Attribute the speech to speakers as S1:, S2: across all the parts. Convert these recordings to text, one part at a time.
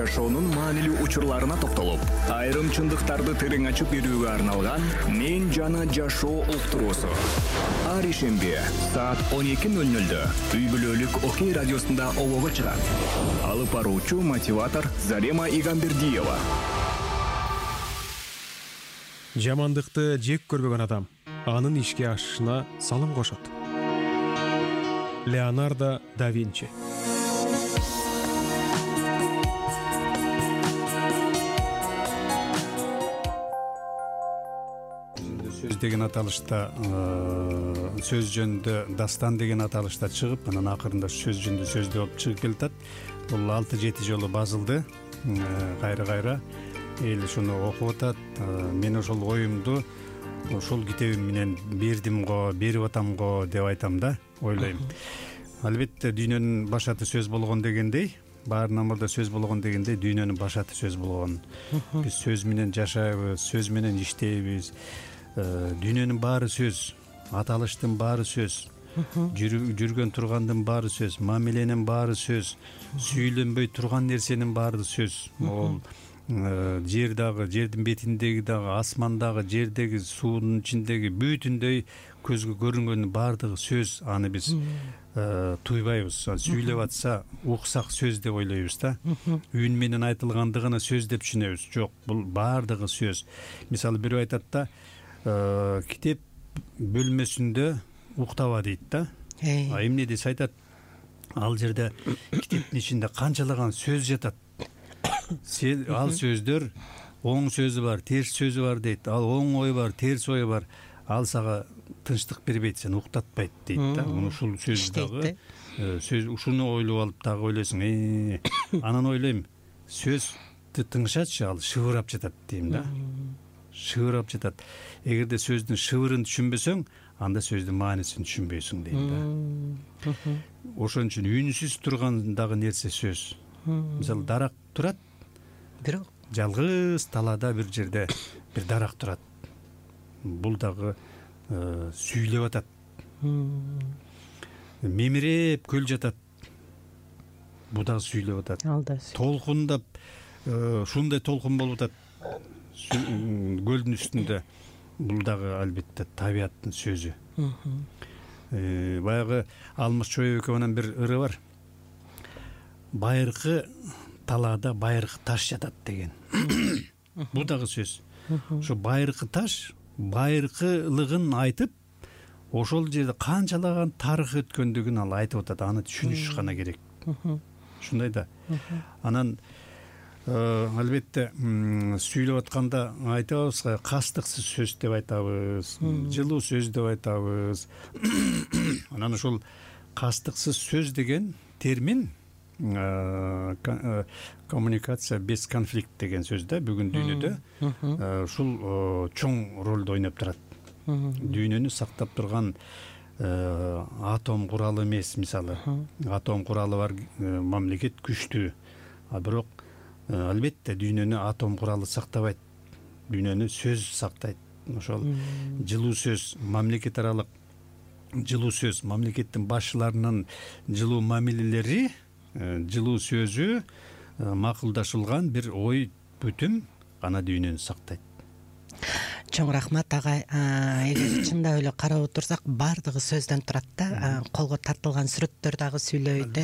S1: жашоонун маанилүү учурларына токтолуп, айрым чындыктарды терең ачып берүүгө арналган «Мен жана жашоо» уктуруусу. Ар ишемби саат 12:00 үй бүлөлүк Окей радиосунда обого чыгат. Алып баруучу мотиватор Зарема Игамбердиева.
S2: Жамандыкты жек көрбөгөн адам анын ишке ашышына салым кошот. Леонардо да Винчи.
S3: Сөз деген аталышта сөз жөнүндө дастан деген аталышта чыгып, анан акырында сөз жөнүндө сөздө болуп чыгып келатат. Бул 6-7 жолу базылды. Кайра эл ушуну окуп атат. Мен ошол оюмду ошол китебим менен бердим го, берип атам го деп айтам да, ойлойм. Албетте дүйнөнүн башаты сөз болгон дегендей, баарынан мурда сөз болгон дегендей, дүйнөнүн башаты сөз болгон. Биз сөз менен жашайбыз, сөз менен иштейбиз. Дүйнөнүн баары сөз, аталыштын баары сөз, жүргөн тургандын баары сөз, мамиленин баары сөз, сүйлөнбөй турган нерсенин баары сөз. Ол жер дагы, жердин бетиндеги дагы, асман дагы, жердеги, суунун ичиндеги бүтүндөй көзгө көрүнгөнүн баардыгы сөз. Аны биз туйбайбыз. Сүйлөп атса, уксак сөз деп ойлойбуз да. Үн менен айтылгандыгына сөз деп түшүнөбүз. Жок, бул баардыгы сөз. Мисалы бирөө айтат да, китеп бөлмөсүндө уктаба дейт да. Эмне десе айтат, ал жерде китептин ичинде канчалаган сөз жатат. Ал сөздөр оң сөзү бар, терс сөзү бар дейт. Ал оң ой бар, терс ой бар. Ал сага тынчтык бербейт, сени уктатпайт дейт да. Ушул сөз дагы сөз ушуну ойлоп алып дагы ойлойсуң. Анан ойлойм, сөздү тыңшачы, ал шыбырап жатат дейм да. Шыбырап жатат. Эгерде сөздүн шыбырын түшүнбөсөң, анда сөздүн маанисин түшүнбөйсүң дейм да. Ошон үчүн үнсүз турган дагы нерсе сөз. Мисалы дарак турат, бирок жалгыз талаада бир жерде бир дарак турат. Бул дагы сүйлөп атат. Мемиреп көл жатат. Бул дагы сүйлөп атат. Толкундап, ушундай толкун болуп атат көлдүн үстүндө. Бул дагы албетте табияттын сөзү. Баягы Алмаз Чоебекованын бир ыры бар. Байыркы талаада байыркы таш жатат деген. Бул дагы сөз. Ошо байыркы таш байыркылыгын айтып, ошол жерде канчалаган тарых өткөндүгүн ал айтып атат. Аны түшүнүш гана керек. Ушундай да. Анан албетте сүйлөп атканда айтабыз, кастыксыз сөз деп айтабыз, жылуу сөз деп айтабыз. Анан ошол кастыксыз сөз деген термин коммуникация без конфликт деген сөз да. Бүгүн дүйнөдө ушул чоң ролду ойноп турат. Дүйнөнү сактап турган атом куралы эмес, мисалы. Атом куралы бар мамлекет күчтүү. А бирок албетте дүйнөнү атом куралы сактабайт. Дүйнөнү сөз сактайт. Ошол жылуу сөз, мамлекет аралык жылуу сөз, мамлекеттин башчыларынын жылуу мамилелери, жылуу сөзү, макулдашылган бир ой бүтүм гана дүйнөнү сактайт.
S4: Чоң рахмат агай. Эгер чындап эле карап отурсак, баардыгы сөздөн турат да. Колго тартылган сүрөттөр дагы сүйлөйт.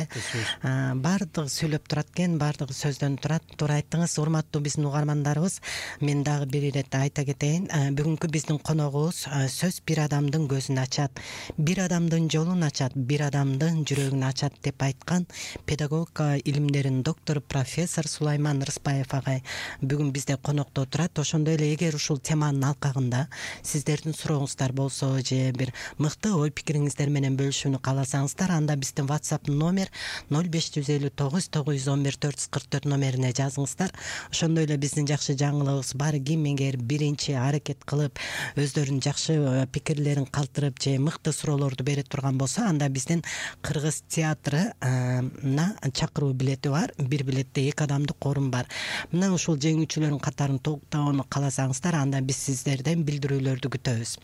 S4: Баардыгы сүйлөп турат экен, баардыгы сөздөн турат. Туура айттыңыз, урматтуу биздин угармандарыбыз. Мен дагы бир ирет айта кетейин. Бүгүнкү биздин коногубуз сөз бир адамдын көзүн ачат, бир адамдын жолун ачат, бир адамдын жүрөгүн ачат деп айткан педагогика илимдеринин доктору профессор Сулайман Рыспаев агай бүгүн бизде конокто отурат. Ошондой эле эгер ушул теманын алкагында сиздердин сурооңуздар болсо же бир мыкты ой пикириңиздер менен бөлүшүүнү кааласаңыздар, анда биздин WhatsApp номер 0559 911 444 номерине жазыңыздар. Ошондой эле биздин жакшы жаңылыгыбыз бар. Ким эгер биринчи аракет кылып өздөрүнүн жакшы пикирлерин калтырып же мыкты суроолорду бере турган болсо, анда биздин кыргыз театрына чакыруу билети бар. Бир билетте 2 адамдык орун бар. Мына ушул жеңүүчүлөрдүн катарын толуктоону кааласаңыздар, анда биз сиздерден билдирүүлөрдү күтөбүз.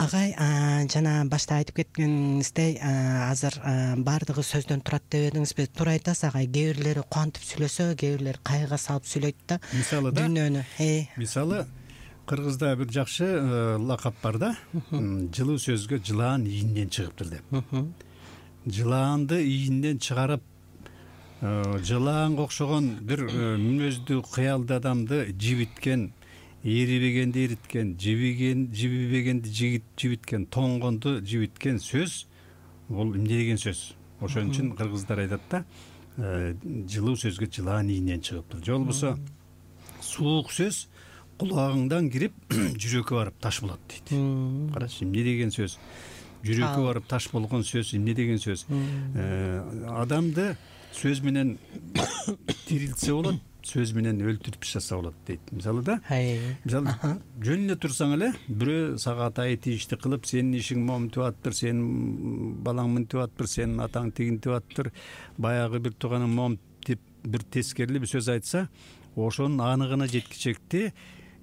S4: Агай жана башта айтып кеткениңиздей азыр баардыгы сөздөн турат деп едиңизби? Туура айтасыз агай. Кээ бирлери кубантып сүйлөсө, кээ бирлери кайгыга салып сүйлөйт да.
S3: Мисалы да.
S4: Дүйнөнү.
S3: Мисалы кыргызда бир жакшы лакап бар да. Жылуу сөзгө жылаан ийинен чыгыптыр деп. Жылаанды ийинен чыгарып, жылаанга окшогон бир мүнөздүү кыялдуу адамды жибиткен, эрибегенди эриткен, жибибегенди жибиткен, тоңгонду жибиткен сөз бул эмне деген сөз? Ошон үчүн кыргыздар айтат да, жылуу сөзгө жылаан ийинен чыгыптыр. Же болбосо суук сөз кулагыңдан кирип жүрөккө барып таш болот дейт. Карачы, эмне деген сөз? Жүрөккө барып таш болгон сөз эмне деген сөз? Адамды сөз менен тирилтсе болот, сөз менен өлтүрүп таштаса болот дейт. Мисалы да, мисалы жөн эле турсаң эле бирөө сага атайын тийишти кылып, сенин ишиң момунтип атыптыр, сенин балаң мынтип атыптыр, сенин атаң тигинтип атыптыр, баягы бир тууганың момунтип бир тескерилүү бир сөз айтса, ошонун аныгына жеткичекти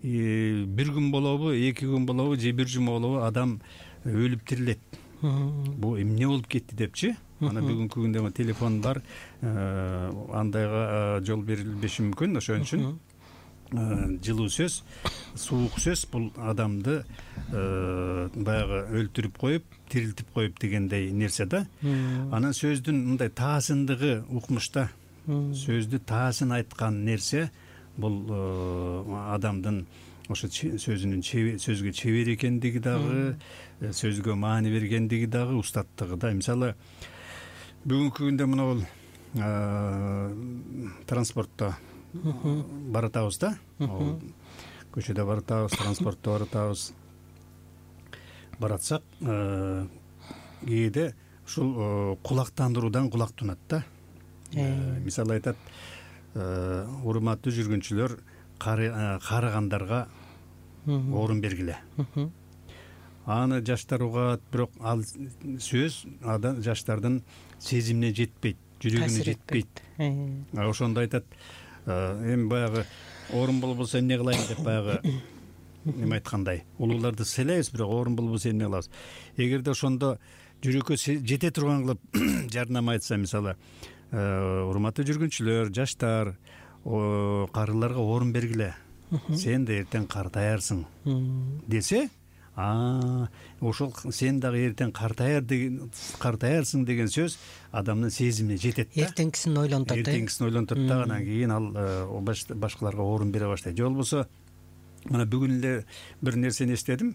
S3: бир күн болобу, 2 күн болобу, же бир жума болобу адам өлүп тирилет. Бул эмне болуп кетти депчи. Ана бүгүнкү күндө телефон бар, андайга жол берилбеши мүмкүн. Ошон үчүн жылуу сөз, суук сөз бул адамды баягы өлтүрүп коюп, тирилтип коюп дегендей нерсе да. Анан сөздүн мындай таасындыгы укмушта, сөздү таасын айткан нерсе бул адамдын ошо сөзгө чебер экендиги дагы, сөзгө маани бергендиги дагы, устаттыгы да. Мисалы бүгүнкү күндө мына бул транспортто баратабыз да. Көчөдө баратабыз, транспортто баратабыз. Баратсак, кээде ушул кулактандыруудан кулак тунат да. Мисалы айтат, урматтуу жүргүнчүлөр, карыгандарга орун бергиле. Аны жаштар угат, бирок ал сөз жаштардын сезимине жетпейт, жүрөгүнө жетпейт. Ошондо айтат, эми баягы орун болбосо эмне кылайын деп баягы эме айткандай, улууларды сыйлайбыз, бирок орун болбосо эмне кылабыз? Эгерде ошондо жүрөккө жете турган кылып жардам айтса, мисалы, урматтуу жүргүнчүлөр, жаштар, карыларга орун бергиле, сен да эртең картаярсың десе, ошол сен дагы эртең картаярсың деген сөз адамдын сезимине жетет да.
S4: Эртеңкисин ойлонтот.
S3: Эртеңкисин ойлонтот да, анан кийин ал башкаларга орун бере баштайт. Же болбосо мына бүгүн эле бир нерсени эстедим.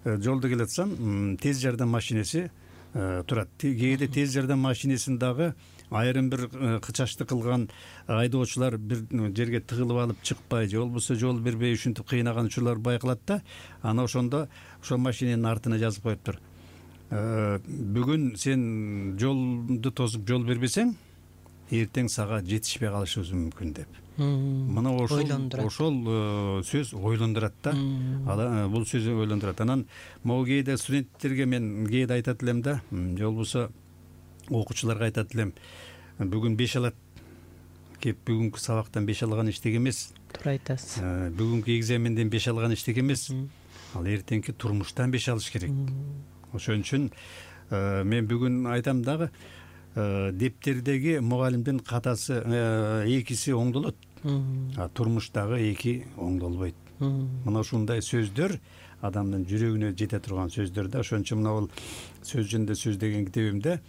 S3: Жолдо келатсам, тез жардам машинеси турат. Кээде тез жардам машинесин дагы айрым бир кычашты кылган айдоочулар бир жерге тыгылып алып чыкпай, же болбосо жол бербей ушинтип кыйнаган учурлар байкалат да. Ана ошондо ошол машиненин артына жазып коюптур. Бүгүн сен жолду тосуп жол бербесең, эртең сага жетишпей калышыбыз мүмкүн деп. Мына ошол сөз ойлондурат да. Бул сөз ойлондурат. Анан могу кээде студенттерге мен кээде айтат элем да, же болбосо окуучуларга айтат элем, бүгүн 5 алат кеп, бүгүнкү сабактан 5 алган эчтеке эмес.
S4: Туура айтасыз.
S3: Бүгүнкү экзаменден 5 алган эчтеке эмес. Ал эртеңки турмуштан 5 алыш керек. Ошон үчүн мен бүгүн айтам дагы, дептердеги мугалимдин катасы 2си оңдолот, турмуштагы 2 оңдолбойт. Мына ушундай сөздөр адамдын жүрөгүнө жете турган сөздөр да. Ошон үчүн мына бул сөз жөнүндө сөз деген китебимде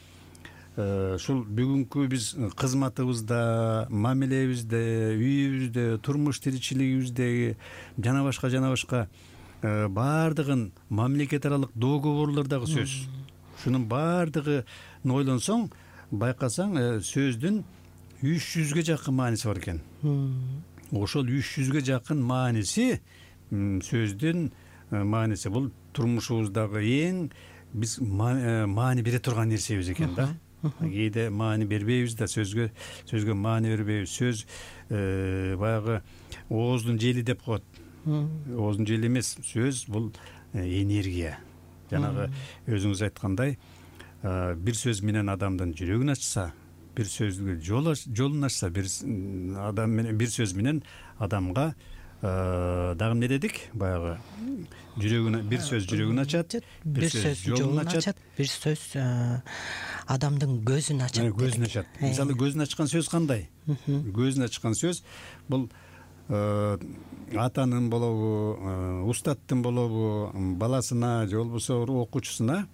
S3: ушул бүгүнкү биз кызматыбызда, мамилебизде, үйүбүздө, турмуш тиричилигибизде жана башка баардыгын мамлекет аралык договорлордогу сөз. Шунун баардыгын ойлонсоң, байкасаң, сөздүн 300ге жакын мааниси бар экен. Ошол 300ге жакын мааниси, сөздүн мааниси бул турмушубуздагы эң биз маани бере турган нерсебиз экен да. Кээде маани бербейбиз да, сөзгө маани бербейбиз. Сөз баягы ооздун жели деп коет. Ооздун жели эмес, сөз бул энергия. Жанагы өзүңүз айткандай, бир сөз менен адамдын жүрөгүн ачса, бир сөзгө жолун ачса, бир сөз менен адамга дагы эмне дедик баягы жүрөгүн бир сөз жүрөгүн ачат,
S4: бир сөз жолун ачат, бир сөз адамдын көзүн ачат.
S3: Көзүн ачат. Мисалы көзүн ачкан сөз кандай? Көзүн ачкан сөз бул атанын болобу, устаттын болобу, баласына же болбосо окуучусуна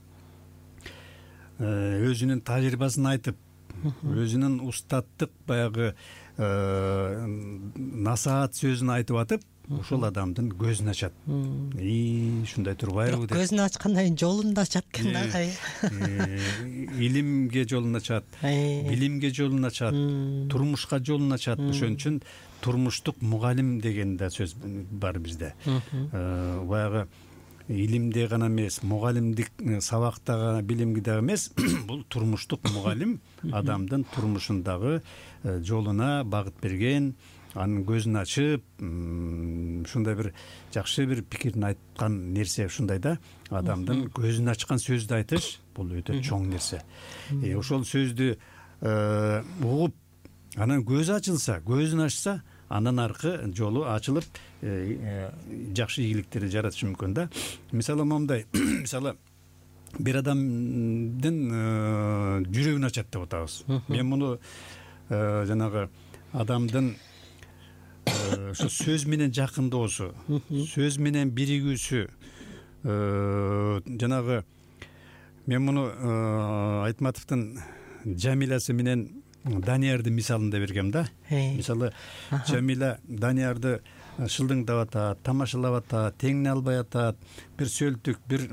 S3: өзүнүн тажрыйбасын айтып, өзүнүн устаттык баягы насаат сөзүн айтып атып, ошол адамдын көзүн ачат. Ушундай турбайбы деп.
S4: Көзүн ачкандан кийин жолун да ачат экен да.
S3: Илимге жолун ачат, билимге жолун ачат, турмушка жолун ачат. Ошон үчүн турмуштук мугалим деген да сөз бар бизде. Баягы илимде гана эмес, мугалимдик сабактагы, билимге дагы эмес, бул турмуштук мугалим адамдын турмушундагы жолуна багыт берген, анын көзүн ачып, ушундай бир жакшы бир пикирин айткан нерсе ушундай да. Адамдын көзүн ачкан сөздү айтыш бул өтө чоң нерсе. Ошол сөздү угуп, анан көзү ачылса, көзүн ачса, андан аркы жолу ачылып, жакшы ийгиликтерди жаратышы мүмкүн да. Мисалы момундай, мисалы бир адамдын жүрөгүн ачат деп атабыз. Мен муну жанагы адамдын ошо сөз менен жакындоосу, сөз менен биригүүсү, жанагы мен муну Айтматовдун Жамиласы менен Даниярдын мисалында бергем да. Мисалы Жамила Даниярды шылдыңдап атат, тамашалап атат, теңине албай атат, бир сөлтүк, бир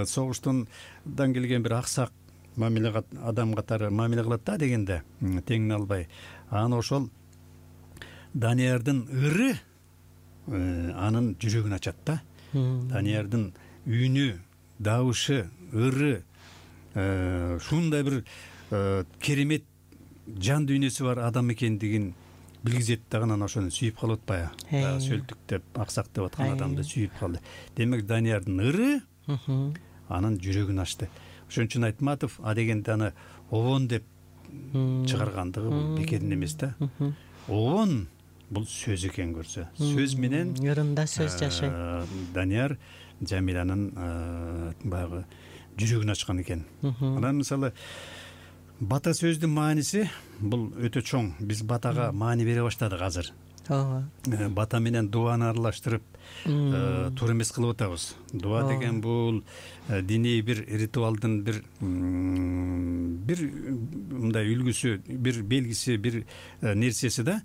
S3: согуштан келген бир аксак мамиле адам катары мамиле кылат да дегенде, теңине албай. Анан ошол Даниярдын ыры анын жүрөгүн ачат да. Даниярдын үнү, дабышы, ыры ушундай бир керемет жан дүйнөсү бар адам экендигин билгизет да, анан ошону сүйүп калып атпайбы? Сөлтүк деп, аксак деп аткан адамды сүйүп калды. Демек Даниярдын ыры анын жүрөгүн ачты. Ошон үчүн Айтматов дегенде аны обон деп чыгаргандыгы бул бекерин эмес да. Обон бул сөз экен көрсө. Сөз менен
S4: ырында сөз жашайт.
S3: Данияр Жамиланын баягы жүрөгүн ачкан экен. Анан мисалы бата сөздүн мааниси бул өтө чоң. Биз батага маани бере баштадык азыр. Бата менен дуаны аралаштырып туура эмес кылып атабыз. Дуа деген бул диний бир ритуалдын бир мындай үлгүсү, бир белгиси, бир нерсеси да.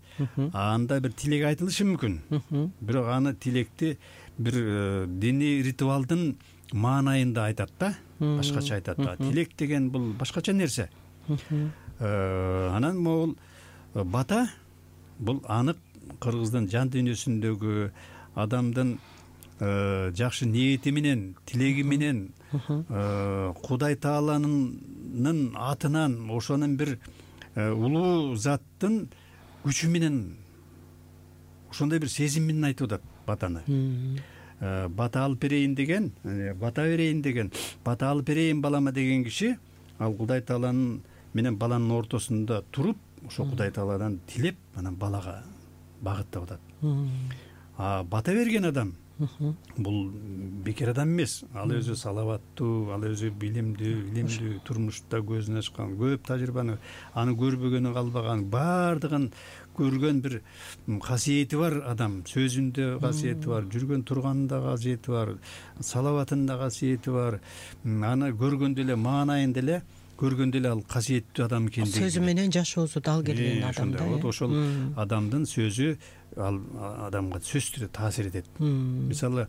S3: Анда бир тилек айтылышы мүмкүн. Бирок аны тилекти бир диний ритуалдын маанайында айтат да, башкача айтат да. Тилек деген бул башкача нерсе. Анан могул бата бул анык кыргыздын жан дүйнөсүндөгү адамдын жакшы ниети менен, тилеги менен, Кудай Тааланын атынан ошонун бир улуу заттын күчү менен, ошондой бир сезим менен айтып атат батаны. Бата алып берейин деген, бата берейин деген, бата алып берейин балама деген киши ал Кудай Тааланын менен баланын ортосунда туруп, ошо Кудай Тааладан тилеп, анан балага багыттап атат. Бата берген адам бул бекер адам эмес. Ал өзү салаваттуу, ал өзү билимдүү, турмушта көзүн ачкан, көп тажрыйбаны, аны көрбөгөнү калбаган, бардыгын көргөн бир касиети бар адам. Сөзүндө касиети бар, жүргөн турганында касиети бар, салаватында касиети бар. Аны көргөндө эле, маанайында эле көргөндө эле ал касиеттүү адам экендиги. Сөзү менен жашоосу дал келген адам да. Ошол адамдын сөзү ал адамга сөзсүз түрдө таасир этет. Мисалы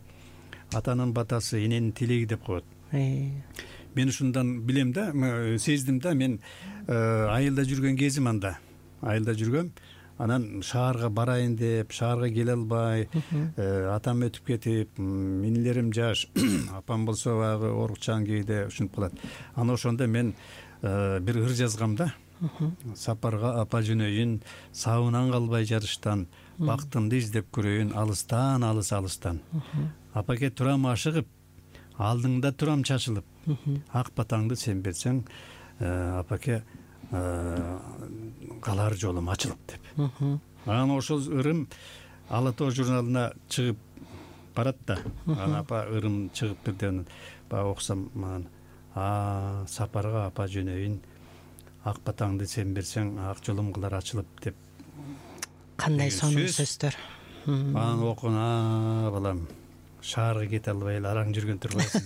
S3: атанын батасы, эненин тилеги деп коет. Мен ушундан билем да, сездим да, мен айылда жүргөн кезим анда. Айылда жүргөм, анан шаарга барайын деп, шаарга келе албай, атам өтүп кетип, инилерим жаш, апам болсо баягы оорукчан кээде ушинтип калат. Анан ошондо мен бир ыр жазгам да. Сапарга апа жөнөйүн, сабынан калбай жарыштан, бактымды издеп көрөйүн алыстан, алыстан. Апаке турам ашыгып, алдыңда турам чачылып, ак батаңды сен берсең, апаке калар жолум ачылып деп. Анан ошол ырым Ала Тоо журналына чыгып барат да. Ана апа ырым чыгыптыр деп баягы окусам, сапарга апа жөнөйүн, ак батаңды сен берсең ак жолум кылар ачылып деп.
S4: Кандай сонун сөздөр.
S3: Аны окуган, балам, шаарга кете албай эле араң жүргөн турбайсың.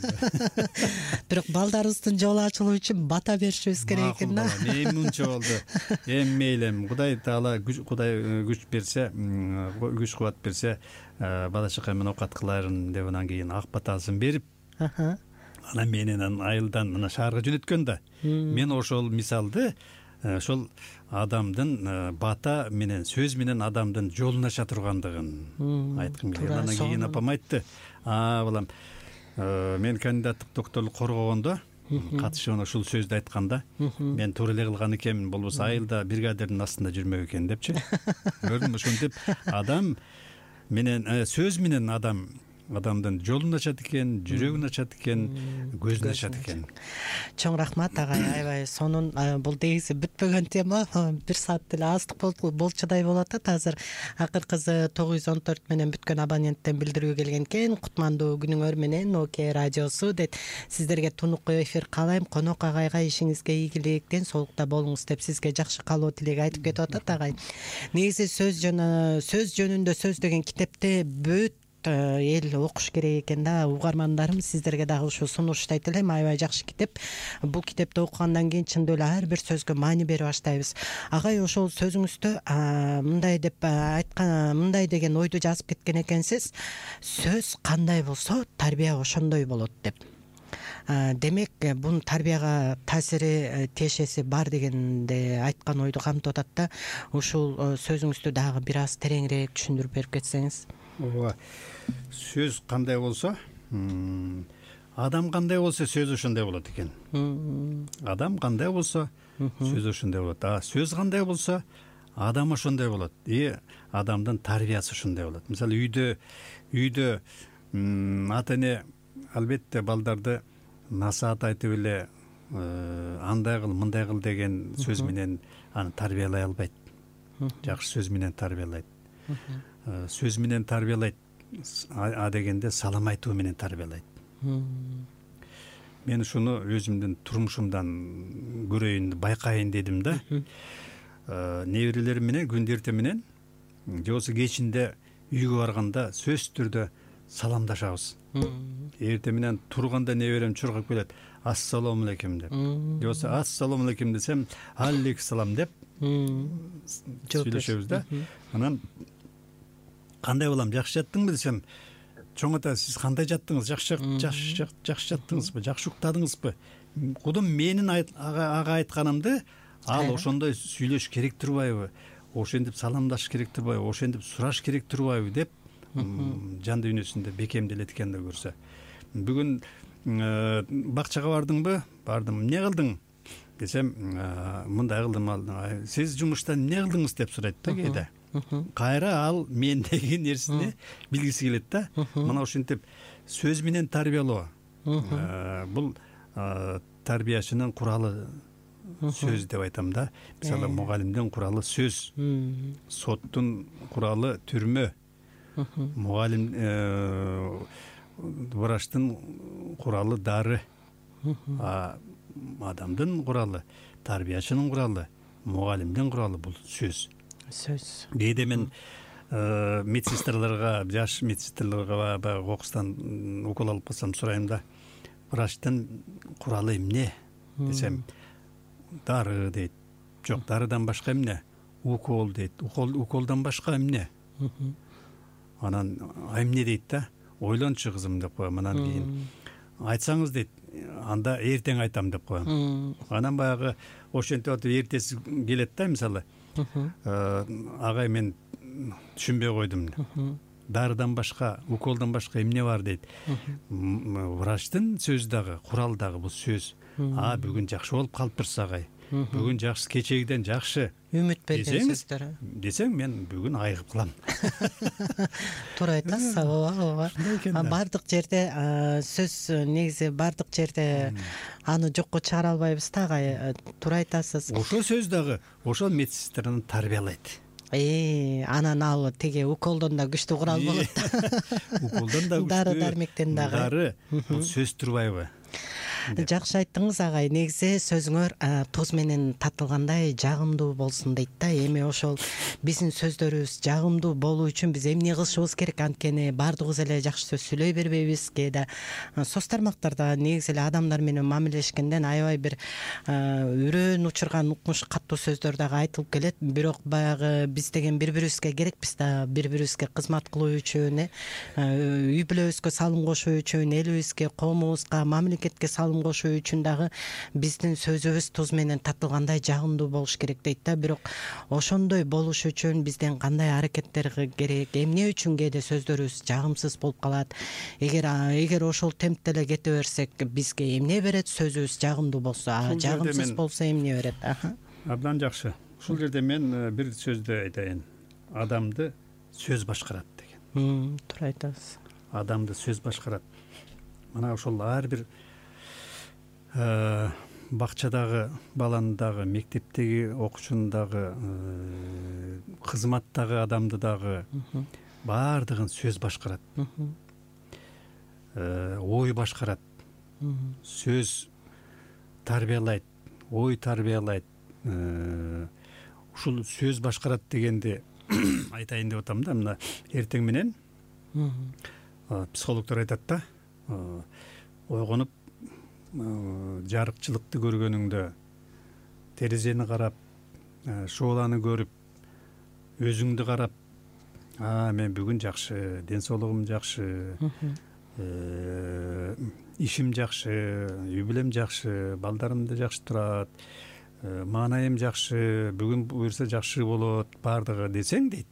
S4: Бирок балдарыбыздын жолу ачылуу үчүн бата беришибиз керек экен да.
S3: Эми мынча болду. Эми мейлем, Кудай Таала Кудай күч берсе, күч кубат берсе, бала чака менен окат кылайын деп анан кийин ак батасын берип, анан менен айылдан мына шаарга жөнөткөн да. Мен ошол мисалды ошол адамдын бата менен сөз менен адамдын жолун ача тургандыгын айткым келген. Анан кийин апам айтты, балам, мен кандидаттык докторлук коргогондо катышып ушул сөздү айтканда, мен туура эле кылган экенмин, болбосо айылда бригадирдин астында жүрмөк экен депчи. Көрдүңбү, ошентип адам менен сөз менен адамдын жолун ачат экен, жүрөгүн ачат экен, көзүн ачат экен.
S4: Чоң рахмат агай, аябай сонун. Бул дегиси бүтпөгөн тема, 1 саат деле аздык болчудай болот да. Азыр акыркысы 914 менен бүткөн абоненттен билдирүү келген экен. Кутмандуу күнүңөр менен ОК радиосу дейт. Сиздерге тунук эфир каалайм. Конок агайга ишиңизге ийгилик, ден соолукта болуңуз деп сизге жакшы каалоо тилек айтып кетип атат агай. Негизи сөз жөнүндө сөз деген китепте бүт эл окуш керек экен да. Угармандарым, сиздерге дагы ушу сунуштайт элем. Аябай жакшы китеп. Бул китепти окугандан кийин чындап эле ар бир сөзгө маани берип баштайбыз. Агай ошол сөзүңүздө мындай деп айткан, мындай деген ойду жазып кеткен экенсиз. Сөз кандай болсо, тарбия ошондой болот деп. Демек, бунун тарбияга таасири, тиешеси бар дегенде айткан ойду камтып атат да. Ушул сөзүңүздү дагы бир аз тереңирээк түшүндүрүп берип кетсеңиз.
S3: Ооба. Сөз кандай болсо, адам кандай болсо, сөз ошондой болот экен. Адам кандай болсо, сөз ошондой болот. Сөз кандай болсо, адам ошондой болот. Адамдын тарбиясы ошондой болот. Мисалы, үйдө ата эне албетте балдарды насаат айтып эле андай кыл, мындай кыл деген сөз менен аны тарбиялай албайт. Жакшы сөз менен тарбиялайт. Сөз менен тарбиялайт, дегенде салам айтуу менен тарбиялайт. Мен ушуну өзүмдүн турмушумдан көрөйүн, байкайын дедим да. Неберелерим менен күндү эртең менен, же болбосо кечинде үйгө барганда сөзсүз түрдө саламдашабыз. Эртең менен турганда неберем чуркап келет, ассалому алейкум деп. Же болбосо ассалому алейкум десем, алейкум деп сүйлөшөбүз да. Анан кандай балам, жакшы жаттыңбы десем, чоң ата, сиз кандай жаттыңыз? Жакшы жаттыңызбы? Жакшы уктадыңызбы? Кудум менин ага айтканымды ал ошондой сүйлөш керек турбайбы? Ошентип саламдаш керек турбайбы? Ошентип сураш керек турбайбы деп жан дүйнөсүндө бекемделет экен да көрсө. Бүгүн бакчага бардыңбы? Бардым. Эмне кылдың? Десем, мындай кылдым. Сиз жумуштан эмне кылдыңыз деп сурайт да кээде. Кайра ал мендеги нерсени билгиси келет да. Мына ошентип сөз менен тарбиялоо. Бул тарбиячынын куралы сөз деп айтам да. Мисалы, мугалимдин куралы сөз, соттун куралы түрмө, мугалим врачтын куралы дары, адамдын куралы, тарбиячынын куралы, мугалимдин куралы бул сөз. Кээде мен медсестраларга, жаш медсестраларга кокустан укол алып калсам сурайм да, врачтын куралы эмне десем, дары дейт. Жок, дарыдан башка эмне? Укол дейт. Уколдан башка эмне? Анан эмне дейт да? Ойлончу кызым деп коем. Анан кийин айтсаңыз дейт, анда эртең айтам деп коем. Анан баягы ошентип атып эртеси келет да, мисалы. Агай, мен түшүнбөй койдум. Дарыдан башка, уколдан башка эмне бар дейт. Врачтын сөзү дагы, курал дагы бул сөз. Бүгүн жакшы болуп калыптырсыз агай. Бүгүн жакшы, кечегиден жакшы.
S4: Үмүт берген сөздөр.
S3: Десең, мен бүгүн айыгып кылам.
S4: Туура айтасыз. Ооба. Бардык жерде сөз, негизи бардык жерде аны жокко чыгара албайбыз да агай. Туура айтасыз.
S3: Ошол сөз дагы ошол медсестраны тарбиялайт.
S4: Анан ал тиги уколдон да күчтүү курал болот да.
S3: Уколдон да күчтүү.
S4: Дары дармектен дагы.
S3: Дары бул сөз турбайбы?
S4: Жакшы айттыңыз агай. Негизи сөзүңөр туз менен татылгандай жагымдуу болсун дейт да. Эми ошол биздин сөздөрүбүз жагымдуу болуу үчүн биз эмне кылышыбыз керек? Анткени баардыгыбыз эле жакшы сөз сүйлөй бербейбиз. Кээде соц тармактарда негизи эле адамдар менен мамилелешкенден аябай бир үрөөн учурган укмуш каттуу сөздөр дагы айтылып келет. Бирок баягы биз деген бири бирибизге керекпиз да, бири бирибизге кызмат кылуу үчүн, үй бүлөбүзгө салым кошуу үчүн, элибизге, коомубузга, мамлекетке салым кошуу үчүн дагы биздин сөзүбүз туз менен татылгандай жагымдуу болуш керек дейт да. Бирок ошондой болуш үчүн бизден кандай аракеттер керек, эмне үчүн кээде сөздөрүбүз жагымсыз болуп калат? Эгер ошол темпте эле кете берсек, бизге эмне берет? Сөзүбүз жагымдуу болсо, жагымсыз болсо эмне берет?
S3: Абдан жакшы. Ушул жерде мен бир сөздү айтайын. Адамды сөз башкарат деген.
S4: Туура айтасыз.
S3: Адамды сөз башкарат. Мына ошол ар бир бакчадагы баланы дагы, мектептеги окуучуну дагы, кызматтагы адамды дагы баардыгын сөз башкарат. Ой башкарат. Сөз тарбиялайт, ой тарбиялайт. Ушул сөз башкарат дегенди айтайын деп атам да. Мына эртең менен психологдор айтат да, ойгонуп жарыкчылыкты көргөнүңдө, терезени карап, шооланы көрүп, өзүңдү карап, мен бүгүн жакшы, ден соолугум жакшы, ишим жакшы, үй бүлөм жакшы, балдарым да жакшы турат, маанайым жакшы, бүгүн буюрса жакшы болот, баардыгы десең дейт.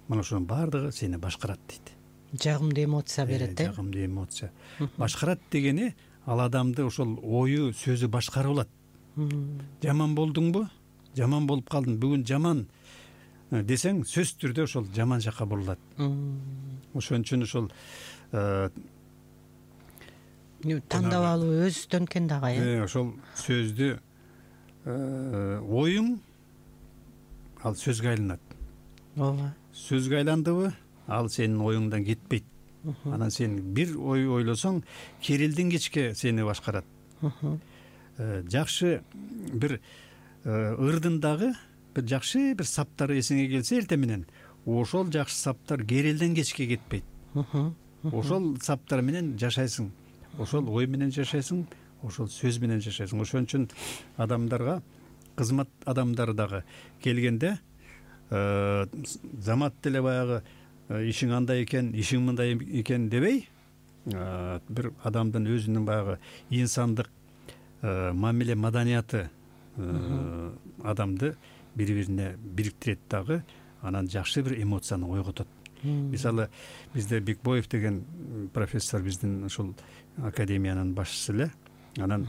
S3: Мына ошонун баардыгы сени башкарат дейт.
S4: Жагымдуу эмоция берет,
S3: Жагымдуу эмоция. Башкарат дегени ал адамды ошол ою, сөзү башкарып алат. Жаман болдуңбу? Жаман болуп калдың. Бүгүн жаман десең, сөз түрдө ошол жаман жакка бурулат. Ошон үчүн ошол
S4: тандап алуу өзүбүздөн экен дагы.
S3: Ошол сөздү оюң ал сөзгө айланат.
S4: Ооба.
S3: Сөзгө айландыбы, ал сенин оюңдан кетпейт. Анан сен бир ой ойлосоң, керилден кечке сени башкарат. Жакшы бир ырдындагы бир жакшы бир саптар эсиңе келсе эртең менен, ошол жакшы саптар керилден кечке кетпейт. Ошол саптар менен жашайсың, ошол ой менен жашайсың, ошол сөз менен жашайсың. Ошон үчүн адамдарга, кызмат адамдары дагы келгенде замат деле баягы ишиң андай экен, ишиң мындай экен дебей, бир адамдын өзүнүн баягы инсандык мамиле маданияты адамды бири-бирине бириктирет дагы, анан жакшы бир эмоцияны ойготот. Мисалы, бизде Бекбоев деген профессор, биздин ушул академиянын башчысы эле. Анан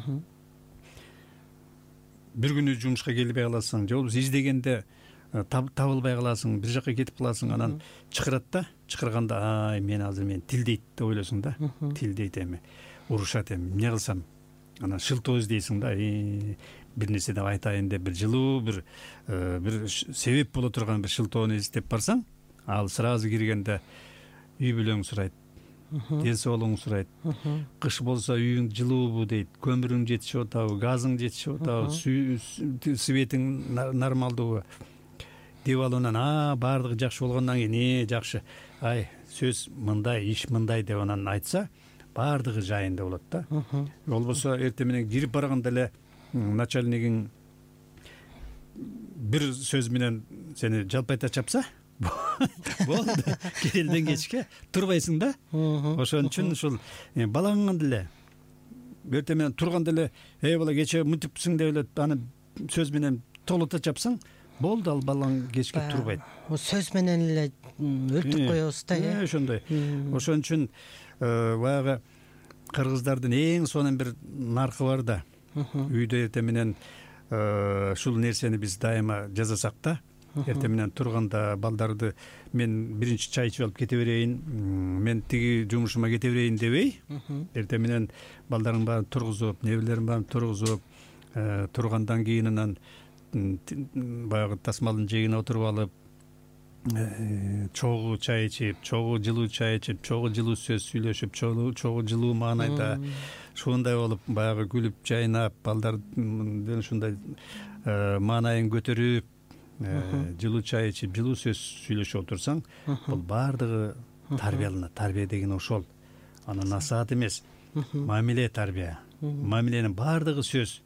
S3: бир күнү жумушка келбей каласың, же болбосо издегенде табылбай каласың, бир жакка кетип каласың, анан чакырат да, чакырганда, мен азыр мен тилдейт деп ойлосуң да, тилдейт эми, урушат эми, эмне кылсам? Анан шылтоо издейсиң да, бир нерсе деп айтайын деп, бир жылуу, бир себеп боло турган бир шылтоону издеп барсаң, ал сразу киргенде үй бүлөң сурайт, ден соолугуң сурайт, кыш болсо үйүң жылуубу дейт, көмүрүң жетишип атабы, газың жетишип атабы, светиң нормалдуубу деп алып, анан баардыгы жакшы болгондон кийин жакшы, сөз мындай, иш мындай деп анан айтса, баардыгы жайында болот да. Болбосо эртең менен кирип барганда эле начальнигиң бир сөз менен сени жалпайта чапса, болду, керилден кечке турбайсың да. Ошон үчүн ушул балаңан деле эртең менен турганда эле, бала кече мынтипсиң деп эле аны сөз менен толута чапсаң, болду, ал балаң кечке турбайт.
S4: Сөз менен эле өлтүрүп коебуз да.
S3: Ошондой. Ошон үчүн баягы кыргыздардын эң сонун бир наркы бар да. Үйдө эртең менен ушул нерсени биз дайыма жасасак да, эртең менен турганда балдарды мен биринчи чай ичип алып кете берейин, мен тиги жумушума кете берейин дебей, эртең менен балдардын баарын тургузуп, неберелерин баарын тургузуп, тургандан кийин анан баягы тасмалдын жээгине отуруп алып чогуу чай ичип, чогуу жылуу чай ичип, чогуу жылуу сөз сүйлөшүп, чогуу жылуу маанайда ушундай болуп баягы күлүп жайнап, балдардын ушундай маанайын көтөрүп, жылуу чай ичип, жылуу сөз сүйлөшүп отурсаң, бул баардыгы тарбияланат. Тарбия деген ошол. Анан насаат эмес, мамиле тарбия. Мамиленин баардыгы сөз.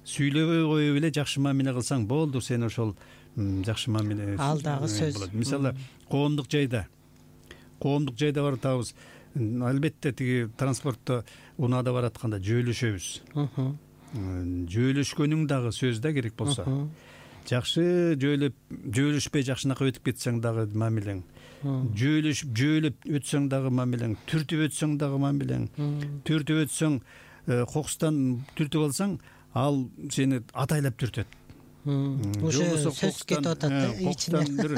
S3: Сүйлөбөй коюп эле жакшы мамиле кылсаң болду, сен ошол жакшы мамиле.
S4: Ал дагы сөз.
S3: Мисалы, коомдук жайда баратабыз. Албетте тиги транспортто унаада баратканда жөөлөшөбүз. Жөөлөшкөнүң дагы сөз да керек болсо. Жакшы жөөлөшпөй жакшынакай өтүп кетсең дагы мамилең. Жөөлөп өтсөң дагы мамилең. Түртүп өтсөң дагы мамилең. Түртүп өтсөң, кокустан түртүп алсаң, ал сени атайлап түртөт.
S4: Уже сөз кетип атат
S3: ичинен. Бир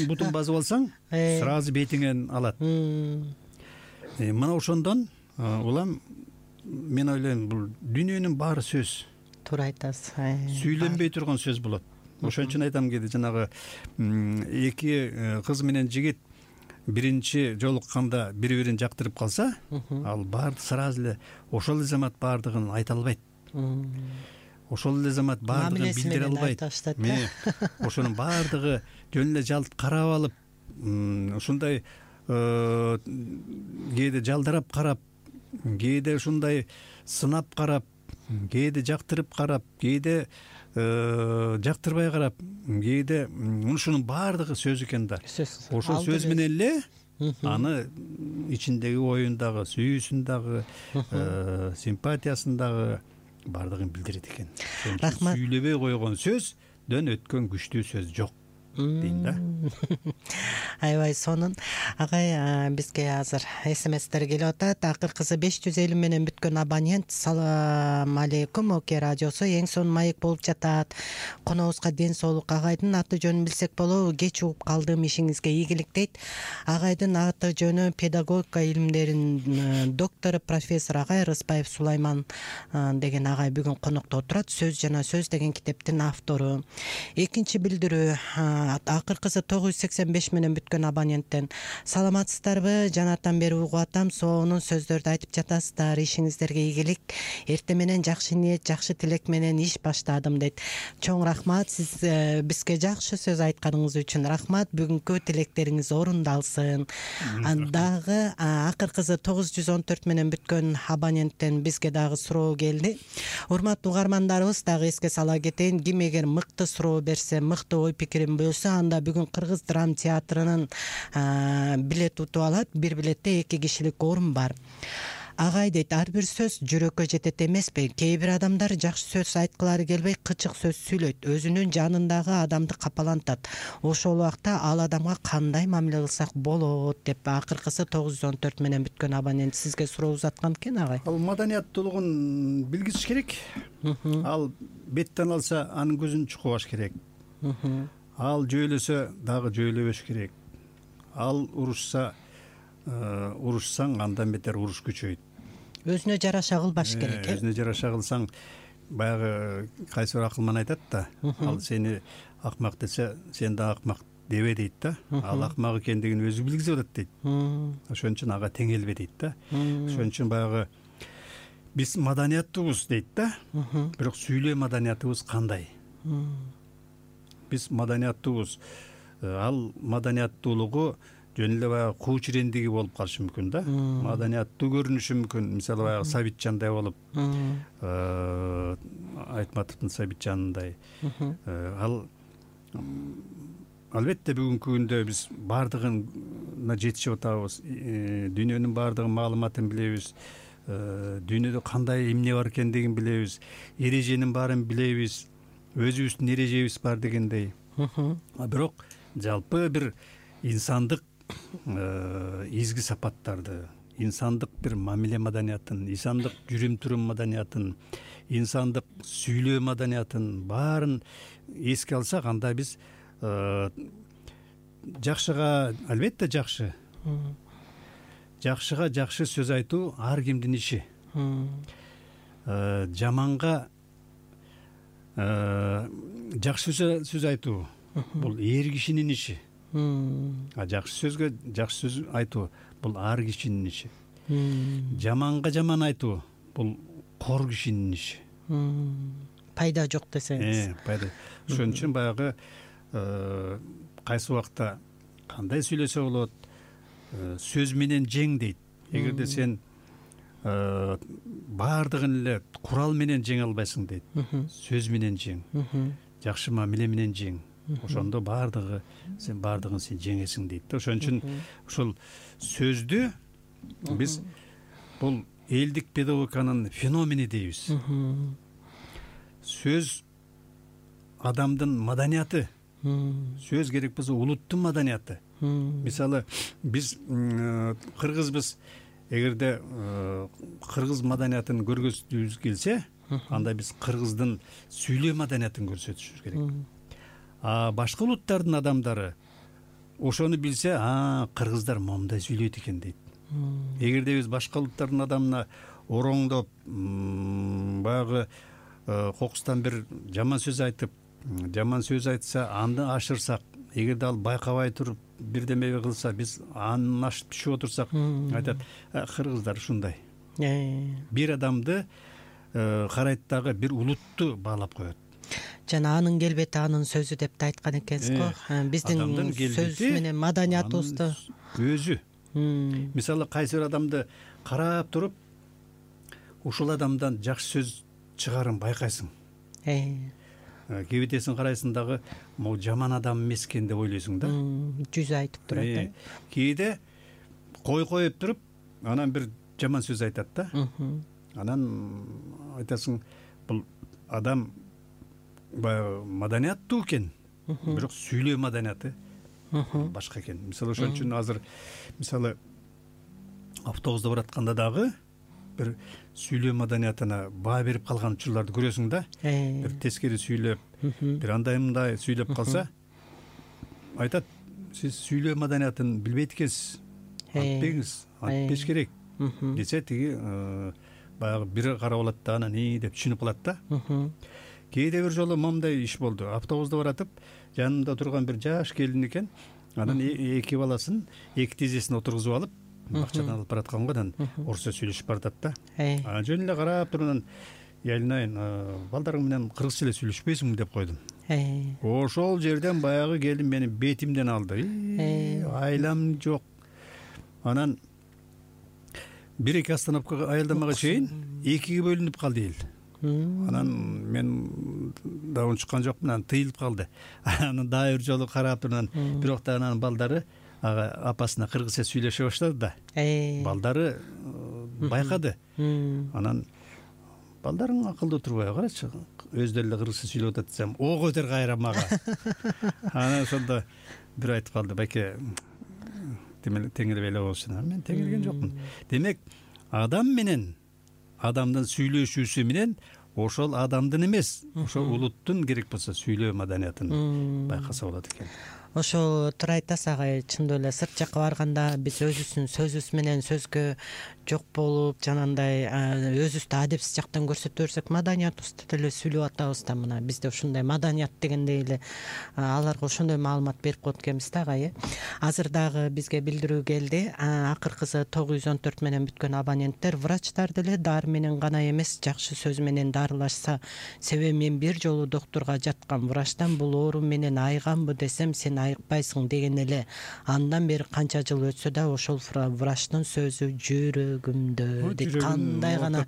S3: бутун басып алсаң, сразу бетиңен алат. Мына ошондон улам мен ойлойм, бул дүйнөнүн баары сөз.
S4: Туура айтасыз.
S3: Сүйлөнбөй турган сөз болот. Ошон үчүн айтам, кээде жанагы эки кыз менен жигит биринчи жолукканда бири-бирин жактырып калса, ал баарды сразу эле ошол эле замат баардыгын айта албайт. Ошол эле замат баардыгын билдире албайт. Ошонун баардыгы жөн эле жалт карап алып, ушундай кээде жалдарап карап, кээде ушундай сынап карап, кээде жактырып карап, кээде жактырбай карап, кээде ушунун баардыгы сөз экен да. Ошол сөз менен эле аны ичиндеги оюн дагы, сүйүүсүн дагы, симпатиясын дагы баардыгын билдирет экен.
S4: Рахмат.
S3: Сүйлөбөй койгон сөздөн өткөн күчтүү сөз жок дейм да.
S4: Аябай сонун. Агай, бизге азыр СМСтер келип атат. Акыркысы 550 менен бүткөн абонент: салам алейкум, Оке радиосу эң сонун маек болуп жатат. Конобузга ден соолук. Агайдын аты жөнүн билсек болобу? Кеч угуп калдым, ишиңизге ийгилик дейт. Агайдын аты жөнү педагогика илимдеринин доктору, профессор Агай Рыспаев Сулайман деген агай бүгүн конокто отурат. Сөз жана сөз деген китептин автору. Экинчи билдирүү акыркысы 985 менен бүткөн абоненттен: саламатсыздарбы? Жанартан бери угуп атам, сонун сөздөрдү айтып жатасыздар. Ишиңиздерге ийгилик. Эртең менен жакшы ниет, жакшы тилек менен иш баштадым дейт. Чоң рахмат, сиз бизге жакшы сөз айтканыңыз үчүн рахмат. Бүгүнкү тилектериңиз орундалсын. Дагы акыркысы 914 менен бүткөн абоненттен бизге дагы суроо келди. Урматтуу угармандарыбыз, дагы эске сала кетейин, ким эгер мыкты суроо берсе, мыкты ой пикирин бөлсө, анда бүгүн Кыргыз драм театрынын билет утуп алат. Бир билетте 2 кишилик орун бар. Агай дейт, ар бир сөз жүрөккө жетет эмеспи? Кээ бир адамдар жакшы сөз айткылары келбей кычык сөз сүйлөйт, өзүнүн жанындагы адамды капалантат. Ошол убакта ал адамга кандай мамиле кылсак болот деп акыркысы 914 менен бүткөн абонент сизге суроо узаткан экен, агай.
S3: Ал маданияттуулугун билгизиш керек. Ал беттен алса, анын көзүн чукубаш керек. Ал жөйлөсө дагы жөйлөбөш керек. Ал урушса, урушсаң андан бетер уруш күчөйт.
S4: Өзүнө жараша кылбаш керек.
S3: Өзүнө жараша кылсаң, баягы кайсы бир акылман айтат да, ал сени акмак десе, сен да акмак дебе дейт да. Ал акмак экендигин өзү билгизип атат дейт. Ошон үчүн ага теңелбе дейт да. Ошон үчүн баягы биз маданияттуубуз дейт да. Бирок сүйлөө маданиятыбыз кандай? Биз маданияттуубуз. Ал маданияттуулугу жөн эле баягы куу чирендиги болуп калышы мүмкүн да. Маданияттуу көрүнүшү мүмкүн. Мисалы баягы Сабитжандай болуп, Айтматовдун Сабитжанындай. Ал албетте бүгүнкү күндө биз баардыгына жетишип атабыз. Дүйнөнүн баардыгы маалыматын билебиз. Дүйнөдө кандай эмне бар экендигин билебиз. Эреженин баарын билебиз. Өзүбүздүн эрежебиз бар дегендей. Бирок жалпы бир инсандык изги сапаттарды, инсандык бир мамиле маданиятын, инсандык жүрүм-турум маданиятын, инсандык сүйлөө маданиятын баарын эске алсак, анда биз жакшыга албетте жакшы, жакшыга жакшы сөз айтуу ар кимдин иши. Жаманга жакшы сөз айтуу бул эр кишинин иши. Жакшы сөз айтуу бул ар кишинин иши. Жаманга жаман айтуу бул кор кишинин иши.
S4: Пайда жок десеңиз.
S3: Пайда. Ошон үчүн баягы кайсы убакта кандай сүйлөсө болот, сөз менен жең дейт. Эгерде сен баардыгын эле курал менен жеңе албайсың дейт. Сөз менен жең. Жакшы мамиле менен жең. Ошондо сен баардыгын жеңесиң дейт. Ошон үчүн ушул сөздү биз бул элдик педагогиканын феномени дейбиз. Сөз адамдын маданияты. Сөз керек болсо улуттун маданияты. Мисалы биз кыргызбыз. Эгерде кыргыз маданиятын көргөзгүбүз келсе, анда биз кыргыздын сүйлөө маданиятын көрсөтүшүбүз керек. Башка улуттардын адамдары ошону билсе, кыргыздар момундай сүйлөйт экен дейт. Эгерде биз башка улуттардын адамына ороңдоп, баягы кокустан бир жаман сөз айтса, аны ашырсак, эгерде ал байкабай туруп бирдеме кылса, биз анын ашып түшүп отурсак, айтат, кыргыздар ушундай. Бир адамды карайт дагы бир улутту баалап коет.
S4: Жана анын келбети анын сөзү деп да айткан экенсиз го. Биздин сөз менен маданиятыбызды
S3: өзү. Мисалы кайсы бир адамды карап туруп, ушул адамдан жакшы сөз чыгарын байкайсың. Кебетесин карайсың дагы, могу жаман адам эмес экен деп ойлойсуң да.
S4: Жүзү айтып турат.
S3: Кээде коюп туруп, анан бир жаман сөз айтат да. Анан айтасың, бул адам баягы маданияттуу экен, бирок сүйлөө маданияты башка экен. Мисалы ошон үчүн азыр мисалы автобуста баратканда дагы бир сүйлөө маданиятына баа берип калган учурларды көрөсүң да. Бир тескери сүйлөп, бир андай-мындай сүйлөп калса, айтат, сиз сүйлөө маданиятын билбейт экенсиз. Айтпеш керек. Десе тиги баягы бир карап алат да, анан деп түшүнүп калат да. Кээде бир жолу момундай иш болду. Автобуста баратып, жанымда турган бир жаш келин экен. Анан эки баласын эки тизесине отургузуп алып, бакчадан алып баратканга анан орусча сүйлөшүп баратат да. Жөн эле карап туруп анан, Ялинайын, балдарың менен кыргызча эле сүйлөшпөйсүңбү деп койдум. Ошол жерден баягы келин менин бетимден алды. Айлам жок. Анан бир-эки остановкага аялдамага чейин экиге бөлүнүп калды эл. Анан мен да унчуккан жокмун, анан тыйылып калды. Анан дагы бир жолу карап туруп, бирок да анан балдары апасына кыргызча сүйлөшө баштады да. Балдары байкады. Анан балдарың акылдуу турбайбы, карачы, өздөрү эле кыргызча сүйлөп атат десем, ого этер кайра мага. Анан ошондо бир айтып калды, байке, теңелбей эле болчу. Мен теңелген жокмун. Демек, адам менен адамдын сүйлөшүүсү менен ошол адамдын эмес, ошол улуттун керек болсо сүйлөө маданиятын байкаса болот экен.
S4: Ошо туура айтасыз агай, чындап эле сырт жакка барганда биз өзүбүздүн сөзүбүз менен сөзгө жок болуп, жанагындай өзүбүздү адепсиз жактан көрсөтө берсек, маданиятыбызды деле сүйлөп атабыз да. Мына бизде ушундай маданият дегендей эле аларга ошондой маалымат берип коет экенбиз да агай. Азыр дагы бизге билдирүү келди. Акыркысы 914 менен бүткөн абоненттер врачтар деле дары менен гана эмес, жакшы сөз менен дарылашса, себеби мен бир жолу доктурга жаткан врачтан бул оору менен айганбы десем, сен айыкпайсың деген эле. Андан бери канча жыл өтсө да ошол врачтын сөзү жүрөгүмдө дейт. Кандай гана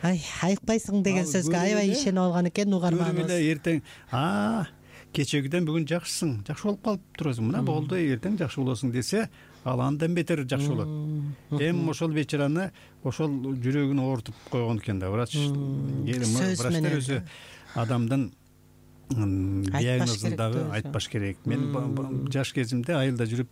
S4: айыкпайсың деген сөзгө аябай ишенип алган экен угарманыбыз.
S3: Эле эртең кечегиден бүгүн жакшысың, жакшы болуп калып турасың. Мына болду, эртең жакшы болосуң десе, ал андан бетер жакшы болот. Ошол вечераны ошол жүрөгүн оорутуп койгон экен да врач. Врачтар өзү адамдын диагнозун дагы айтпаш керек. Мен жаш кезимде айылда жүрүп,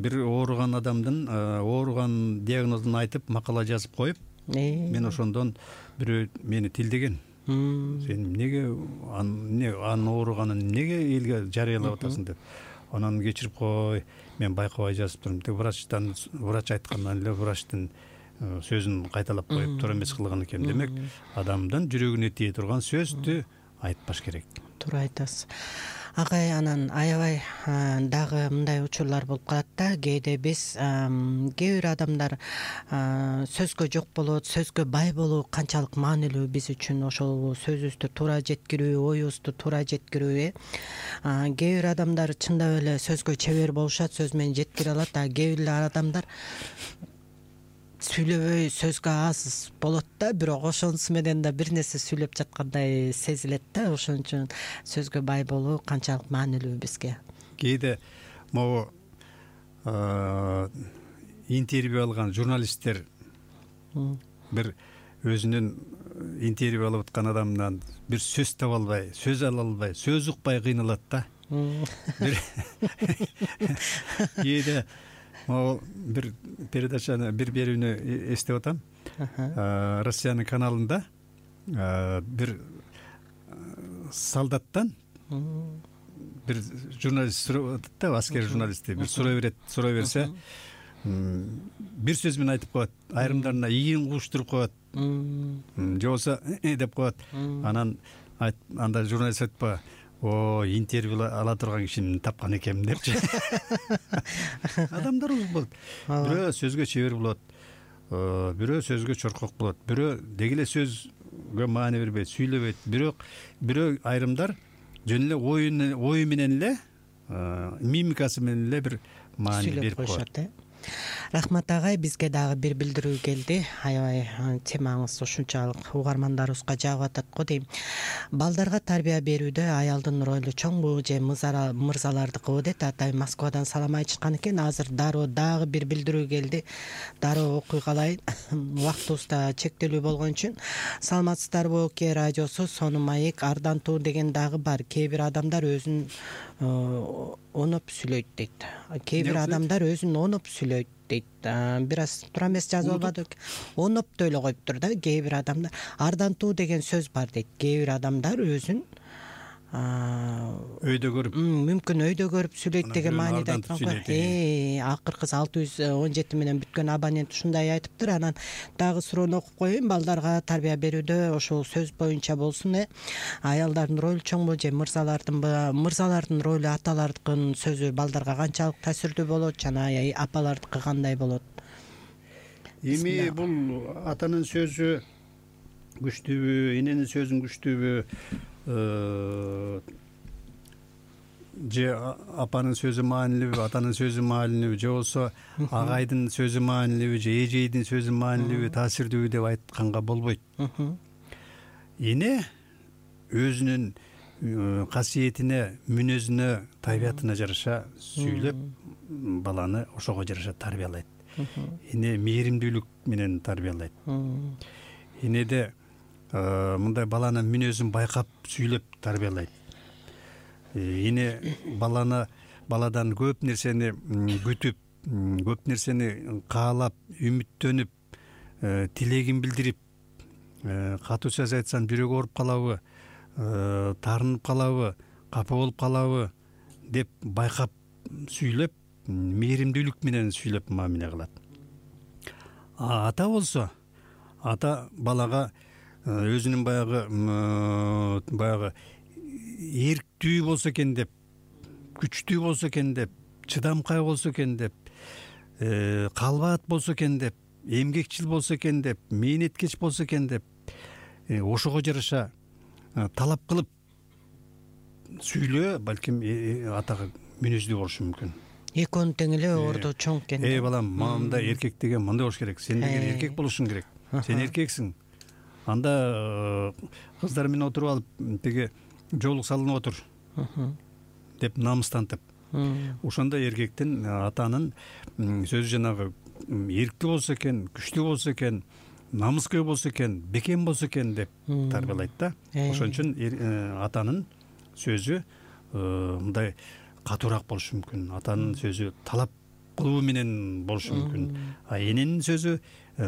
S3: бир ооруган адамдын ооруган диагнозун айтып, макала жазып коюп, мен ошондон бирөө мени тилдеген. Сен эмнеге анын ооруганын эмнеге элге жарыялап атасың деп. Анан кечирип кой, мен байкабай жазып турдум. Врач айткандан эле врачтын сөзүн кайталап коюп туура эмес кылган экен. Демек, адамдын жүрөгүнө тие турган сөздү айтпаш керек.
S4: Туура айтасыз агай. Анан аябай дагы мындай учурлар болуп калат да. Кээде биз кээ бир адамдар сөзгө жок болот, сөзгө бай болуу канчалык маанилүү биз үчүн, ошол сөзүбүздү туура жеткирүү, оюбузду туура жеткирүү. Кээ бир адамдар чындап эле сөзгө чебер болушат, сөз менен жеткире алат, а кээ бир адамдар сүйлөбөй сөзгө аз болот да, бирок ошонусу менен да бир нерсе сүйлөп жаткандай сезилет да. Ошон үчүн сөзгө бай болуу канчалык маанилүү бизге.
S3: Кээде могу интервью алган журналисттер бир өзүнүн интервью алып аткан адамдан бир сөз таба албай, сөз ала албай, сөз укпай кыйналат да. Кээде могу бир передачаны, бир берүүнү эстеп атам. Россиянын каналында бир солдаттан бир журналист сурап атат да, аскер журналисти бир сурай берсе, бир сөз менен айтып коет, айрымдарына ийин куштуруп коет, же болбосо деп коет. Анан анда журналист айтпа, интервью ала турган кишини тапкан экенмин депчи. Адамдарыбыз болот. Бирөө сөзгө чебер болот, бирөө сөзгө чоркок болот, бирөө деги эле сөзгө маани бербейт, сүйлөбөйт. Бирөө айрымдар жөн эле ою менен эле, мимикасы менен эле бир маани берип коет.
S4: Рахмат агай, бизге дагы бир билдирүү келди. Аябай темаңыз ушунчалык угармандарыбызга жагып атат го дейм. Балдарга тарбия берүүдө аялдын ролу чоңбу же мырзалардыкыбы дейт. Атай Москвадан салам айтышкан экен. Азыр дароо дагы бир билдирүү келди. Дароо окуй калайын. Убактыбыз да чектелүү болгон үчүн. Саламатсыздарбы ОК радиосу, Сонун маек, Ардантуу деген дагы бар. Кээ бир адамдар өзүн оноп сүйлөйт дейт. Кээ бир адамдар өзүн оноп сүйлөйт дейт. Бир аз туура эмес жазып албадык. Онопту эле коюптур да. Кээ бир адамдар ардантуу деген сөз бар дейт. Кээ бир адамдар өзүн
S3: өйдө көрүп,
S4: мүмкүн өйдө көрүп сүйлөйт деген мааниде айткан го. Акыркы 617 менен бүткөн абонент ушундай айтыптыр. Анан дагы суроону окуп коеюн. Балдарга тарбия берүүдө ошол сөз боюнча болсун. Аялдардын ролу чоңбу же мырзалардынбы? Мырзалардын ролу аталардын сөзү балдарга канчалык таасирдүү болот жана апалардыкы кандай болот?
S3: Эми бул атанын сөзү күчтүүбү, эненин сөзүн күчтүүбү, же апанын сөзү маанилүүбү, атанын сөзү маанилүүбү, же болбосо агайдын сөзү маанилүүбү, же эжейдин сөзү маанилүүбү, таасирдүүбү деп айтканга болбойт. Эне өзүнүн касиетине, мүнөзүнө, табиятына жараша сүйлөп, баланы ошого жараша тарбиялайт. Эне мээримдүүлүк менен тарбиялайт. Энеде мындай баланын мүнөзүн байкап сүйлөп тарбиялайт. Эне баладан көп нерсени күтүп, көп нерсени каалап, үмүттөнүп, тилегин билдирип, катуу сөз айтсам жүрөгү ооруп калабы, таарынып калабы, капа болуп калабы деп байкап сүйлөп, мээримдүүлүк менен сүйлөп мамиле кылат. Ата болсо, ата балага өзүнүн баягы эрктүү болсо экен деп, күчтүү болсо экен деп, чыдамкай болсо экен деп, калбаат болсо экен деп, эмгекчил болсо экен деп, мээнеткеч болсо экен деп, ошого жараша талап кылып сүйлөө, балким атага мүнөздүү болушу мүмкүн.
S4: Экөөнүн тең эле ордо чоң экен.
S3: Балам, мындай эркек деген мындай болуш керек. Сен деген эркек болушуң керек. Сен эркексиң. Анда кыздар менен отуруп алып, тиги жоолук салынып отур деп намыстантып. Ошондой эркектин, атанын сөзү жанагы эрктүү болсо экен, күчтүү болсо экен, намыскер болсо экен, бекем болсо экен деп тарбиялайт да. Ошон үчүн атанын сөзү мындай катуураак болушу мүмкүн. Атанын сөзү талап кылуу менен болушу мүмкүн. Эненин сөзү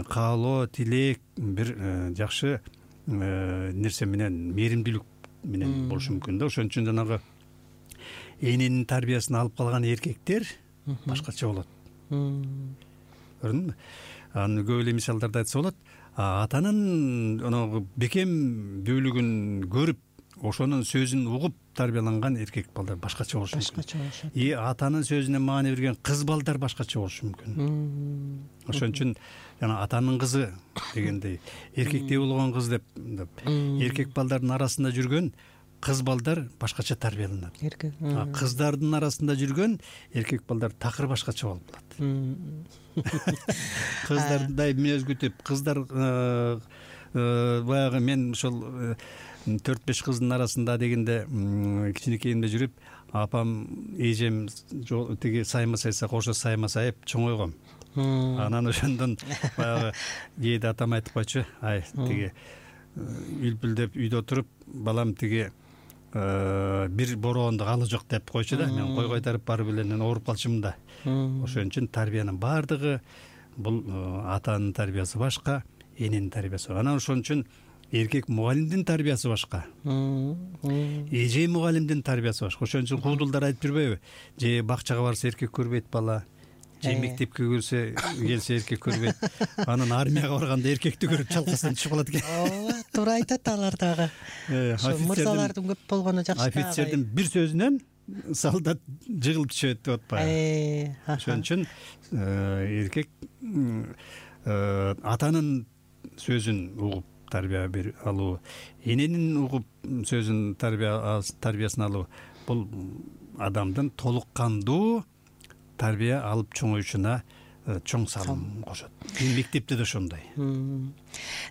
S3: каалоо, тилек, бир жакшы нерсе менен, мээримдүүлүк менен болушу мүмкүн да. Ошон үчүн жанагы эненин тарбиясын алып калган эркектер башкача болот. Көрдүңбү? Аны көп эле мисалдарды айтса болот. Атанын бекем бүүлүгүн көрүп, ошонун сөзүн угуп тарбияланган эркек балдар башкача болушу мүмкүн.
S4: Башкача болушат.
S3: И атанын сөзүнө маани берген кыз балдар башкача болушу мүмкүн. Ошон үчүн жана атанын кызы дегендей эркектей болгон кыз деп эркек балдардын арасында жүргөн кыз балдар башкача тарбияланат. Кыздардын арасында жүргөн эркек балдар такыр башкача болуп калат. Кыздардын мүнөз күтүп, кыздар баягы мен ошол 4-5 кыздын арасында дегенде кичинекейимде жүрүп, апам, эжем тиги саймасайса кошо саймасайып чоңойгом. Анан ошондон баягы кээде атам айтып койчу, ай тиги үлпүлдөп үйдө отуруп, балам тиги бир бороондо калы жок деп койчу да. Мен кой кайтарып барып эле ооруп калчумун да. Ошон үчүн тарбиянын баардыгы бул атанын тарбиясы башка, эненин тарбиясы. Анан ошон үчүн эркек мугалимдин тарбиясы башка. Эже мугалимдин тарбиясы башка. Ошон үчүн куудулдар айтып жүрбөйбү? Же бакчага барса эркек көрбөйт бала, же мектепке келсе эркек көрбөйт. Анан армияга барганда эркекти көрүп чалкасынан түшүп калат экен.
S4: Ооба, туура айтат алар дагы. Мырзалардын көп болгону жакшы.
S3: Офицердин бир сөзүнөн солдат жыгылып түшөт деп атпайбы? Ошон үчүн эркек атанын сөзүн угуп тарбия алуу, эненин угуп сөзүн тарбиясын алуу бул адамдын толук кандуу тарбия алып чоңоюшуна чоң салым кошот. Мектепте да ошондой.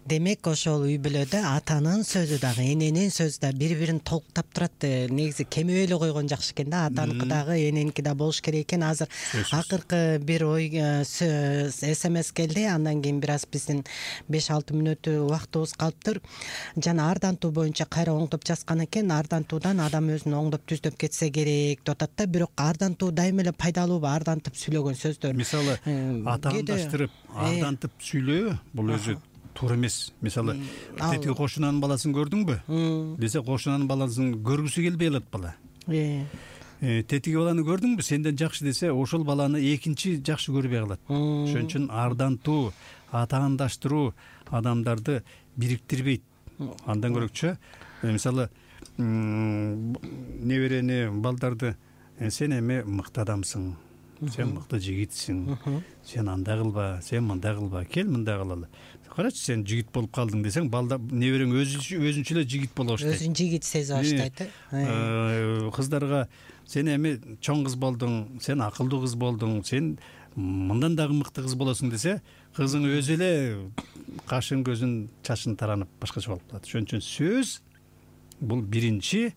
S4: Демек ошол үй бүлөдө атанын сөзү дагы эненин сөзү да бири-бирин толуктап турат. Негизи кемебей эле койгон жакшы экен да. Атаныкы дагы эненики да болуш керек экен. Азыр акыркы бир ой СМС келди. Андан кийин бир аз биздин 5-6 мүнөт убактыбыз калыптыр. Жана ардантуу боюнча кайра оңдоп жазган экен. Ардантуудан адам өзүн оңдоп түздөп кетсе керек деп атат да. Бирок ардантуу дайыма эле пайдалуубу? Ардантып сүйлөгөн сөздөр.
S3: Мисалы атаандаштырып ардантып сүйлөө бул өзү туура эмес. Мисалы тетиги кошунанын баласын көрдүңбү десе, кошунанын баласын көргүсү келбей калат бала. Тетиги баланы көрдүңбү, сенден жакшы десе, ошол баланы экинчи жакшы көрбөй калат. Ошон үчүн ардантуу, атаандаштыруу адамдарды бириктирбейт. Андан көрөкчө, мисалы неберени балдарды сен эми мыкты адамсың, сен мыкты жигитсиң, сен андай кылба, сен мындай кылба, кел мындай кылалы. Карачы, сен жигит болуп калдың десең, балда неберең өзүнчө эле жигит боло баштайт. Өзүн жигит сезе баштайт. Кыздарга сен эми чоң кыз болдуң, сен акылдуу кыз болдуң, сен мындан дагы мыкты кыз болосуң десе, кызың өзү эле кашын, көзүн, чачын таранып башкача болуп калат. Ошон үчүн сөз бул биринчи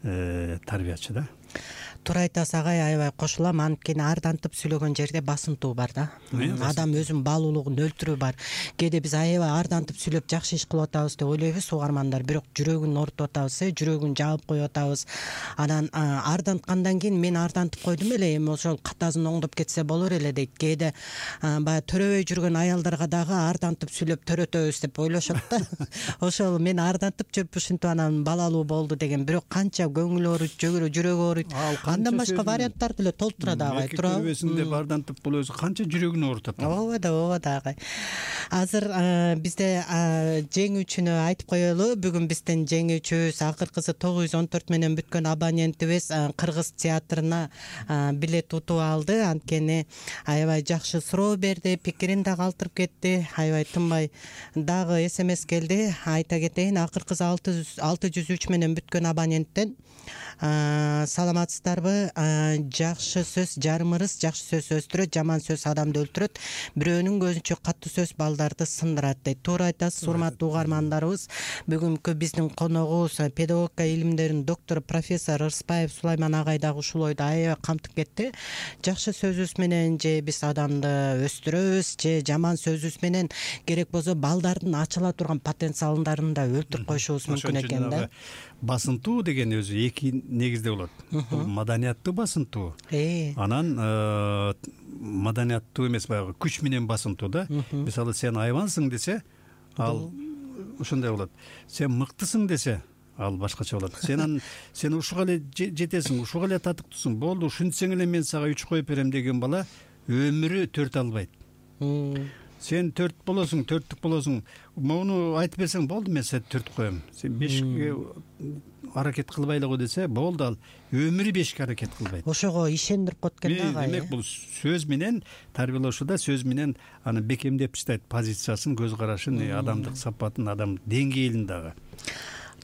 S3: тарбиячы да.
S4: Туура айтасыз агай, аябай кошулам. Анткени ардантып сүйлөгөн жерде басынтуу бар да. Адам өзүнүн баалуулугун өлтүрүү бар. Кээде биз аябай ардантып сүйлөп жакшы иш кылып атабыз деп ойлойбуз угармандар, бирок жүрөгүн оорутуп атабыз, жүрөгүн жаап коюп атабыз. Анан арданткандан кийин мен ардантып койдум эле, эми ошол катазын оңдоп кетсе болор эле дейт. Кээде баягы төрөбөй жүргөн аялдарга дагы ардантып сүйлөп төрөтөбүз деп ойлошот да. Ошол мен ардантып жүрүп ушинтип анан балалуу болду деген. Бирок канча көңүл ооруйт, жүрөгү ооруйт. Андан башка варианттарды эле толтурат агай, туурабы?
S3: Көрбөсүндө ардантып бул өзү канча жүрөгүн оорутат.
S4: Ооба да агай. Азыр бизде жеңүүчүнү айтып коелу. Бүгүн биздин жеңүүчүбүз акыркысы 914 менен бүткөн абонентибиз Кыргыз театрына билет утуп алды. Анткени аябай жакшы суроо берди, пикирин да калтырып кетти. Аябай тынбай дагы СМС келди. Айта кетейин, акыркысы 603 менен бүткөн абоненттен саламатсыздарбы? Жакшы сөз жарым ырыс, жакшы сөз өстүрөт, жаман сөз адамды өлтүрөт, бирөөнүн көзүнчө катуу сөз балдарды сындырат дейт. Туура айтасыз, урматтуу угармандарыбыз. Бүгүнкү биздин коногубуз педагогика илимдеринин доктору профессор Ырысбаев Сулайман агай дагы ушул ойду аябай камтып кетти. Жакшы сөзүбүз менен же биз адамды өстүрөбүз, же жаман сөзүбүз менен керек болсо балдардын ачыла турган потенциалдарын да өлтүрүп коюшубуз мүмкүн экен да.
S3: Басынтуу деген өзү эки негизде болот. Маданияттуу басынтуу. Анан маданияттуу эмес, баягы күч менен басынтуу да. Мисалы сен айбансың десе, ал ошондой болот. Сен мыктысың десе, ал башкача болот. Сен ушуга эле жетесиң, ушуга эле татыктуусуң, болду, ушинтсең эле мен сага 3 коюп берем деген бала өмүрү 4 албайт. Сен 4 болосуң, 4түк болосуң. Муну айтып берсең, болду, мен сени 4 коем. Сен 5 аракет кылбайлы го десе болду, ал өмүрү бешке аракет кылбайт.
S4: Ошого ишендирип коет экен да агай.
S3: Демек бул сөз менен тарбиялоошуда сөз менен аны бекемдеп таштайт позициясын, көз карашын, адамдык сапатын, адам деңгээлин дагы.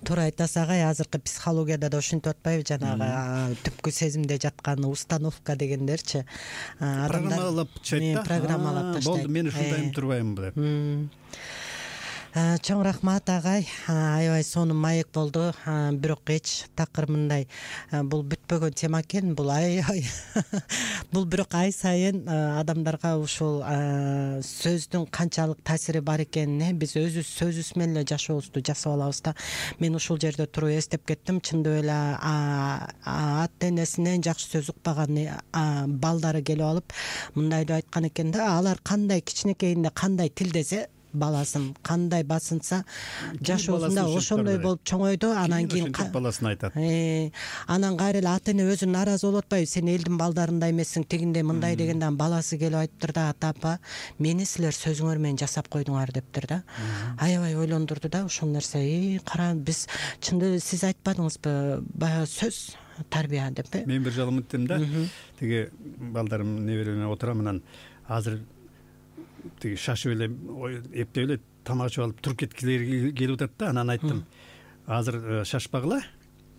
S4: Туура айтасыз агай, азыркы психологияда да ошентип атпайбы, жанагы түпкү сезимде жаткан установка дегендерчи.
S3: Программалап чайт да.
S4: Программалап таштайт.
S3: Болду, мен ушундаймын, турбаймын деп.
S4: Чоң рахмат агай, аябай сонун маек болду. Бирок эч такыр мындай, бул бүтпөгөн тема экен, бул аябай бул бирок ай сайын адамдарга ушул сөздүн канчалык таасири бар экенин биз өзүбүз сөзүбүз менен эле жашообузду жасап алабыз да. Мен ушул жерде туруп эстеп кеттим, чындап эле ата энесинен жакшы сөз укпаган балдары келип алып мындай деп айткан экен да, алар кандай кичинекейинде кандай тилдесе баласын, кандай басынса жашоосунда ошондой болуп чоңойду. Анан кийин
S3: баласын айтат.
S4: Анан кайра эле ата эне өзү нааразы болуп атпайбы, сен элдин балдарындай эмессиң, тигиндей мындай дегенде баласы келип айтыптыр да, ата апа, мени силер сөзүңөр менен жасап койдуңар дептир да. Аябай ойлондурду да ошол нерсе. Кара, биз чындап сиз айтпадыңызбы, баягы сөз тарбия деп.
S3: Мен бир жолу мынттым да, тиги балдарым небереме отурам, анан азыр тиги шашып эле эптеп эле тамак ичип алып туруп кеткилери келип атат да. Анан айттым, азыр шашпагыла,